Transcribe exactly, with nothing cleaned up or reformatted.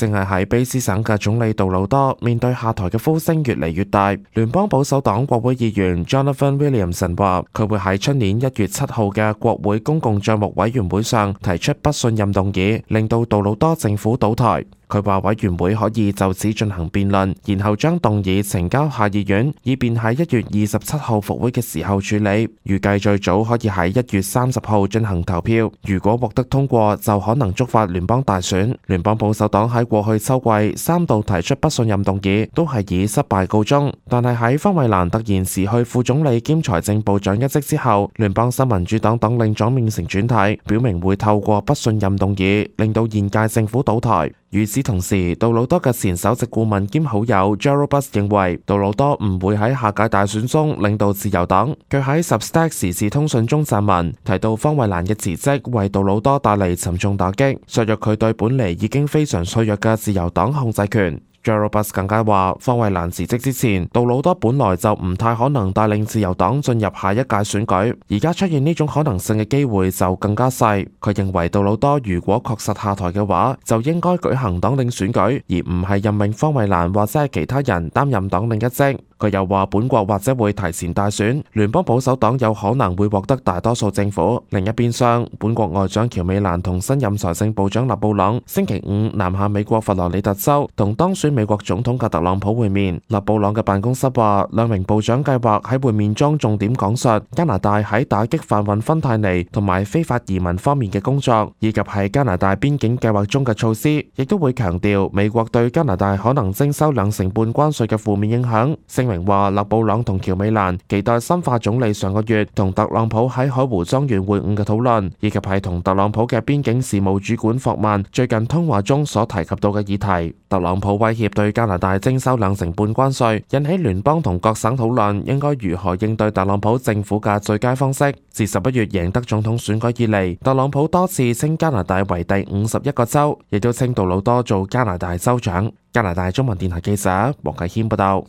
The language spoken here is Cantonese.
正係喺卑詩省嘅總理杜魯多面對下台嘅呼聲越嚟越大。聯邦保守黨國會議員 Jonathan Williamson 話，佢會喺出年一月七號嘅國會公共賬目委員會上提出不信任動議，令到杜魯多政府倒台。佢話委員會可以就此進行辯論，然後將動議呈交下議院，以便喺一月二十七號復會嘅時候處理。預計最早可以喺一月三十號進行投票。如果獲得通過，就可能觸發聯邦大選。聯邦保守黨喺過去秋季三度提出不信任動議，都係以失敗告終。但係喺方慧蘭突然辭去副總理兼財政部長一職之後，聯邦新民主黨黨領總面成轉軚，表明會透過不信任動議令到現屆政府倒台。與此同時，杜魯多嘅前首席顧問兼好友 Gerald Butts 認為，杜魯多唔會喺下屆大選中領導自由黨。佢喺 Substack 時事通訊中撰文，提到方慧蘭嘅辭職為杜魯多帶嚟沉重打擊，削弱佢對本嚟已經非常脆弱嘅自由黨控制權。Gerald Butts 更加話，方慧蘭辭職之前，杜魯多本來就唔太可能帶領自由黨進入下一屆選舉，而家出現呢種可能性嘅機會就更加細。佢認為杜魯多如果確實下台嘅話，就應該舉行黨領選舉，而唔係任命方慧蘭或者係其他人擔任黨領一職。佢又話，本國或者會提前大選，聯邦保守黨有可能會獲得大多數政府。另一邊廂，本國外長喬美蘭同新任財政部長勒布朗星期五南下美國佛羅里達州，同當選美國總統嘅特朗普會面。勒布朗嘅辦公室話，兩名部長計劃喺會面中重點講述加拿大喺打擊販運芬太尼同埋非法移民方面嘅工作，以及喺加拿大邊境計劃中嘅措施，亦都會強調美國對加拿大可能徵收兩成半關稅嘅負面影響。明話勒布朗同喬美蘭期待深化總理上個月同特朗普喺海湖莊園會晤嘅討論，以及係同特朗普嘅邊境事務主管霍曼最近通話中所提及到嘅議題。特朗普威脅對加拿大徵收兩成半關稅，引起聯邦同各省討論應該如何應對特朗普政府嘅最佳方式。自十一月贏得總統選舉以嚟，特朗普多次稱加拿大為第五十一個州，亦都稱杜魯多做加拿大州長。加拿大中文電台記者黃啟謙報道。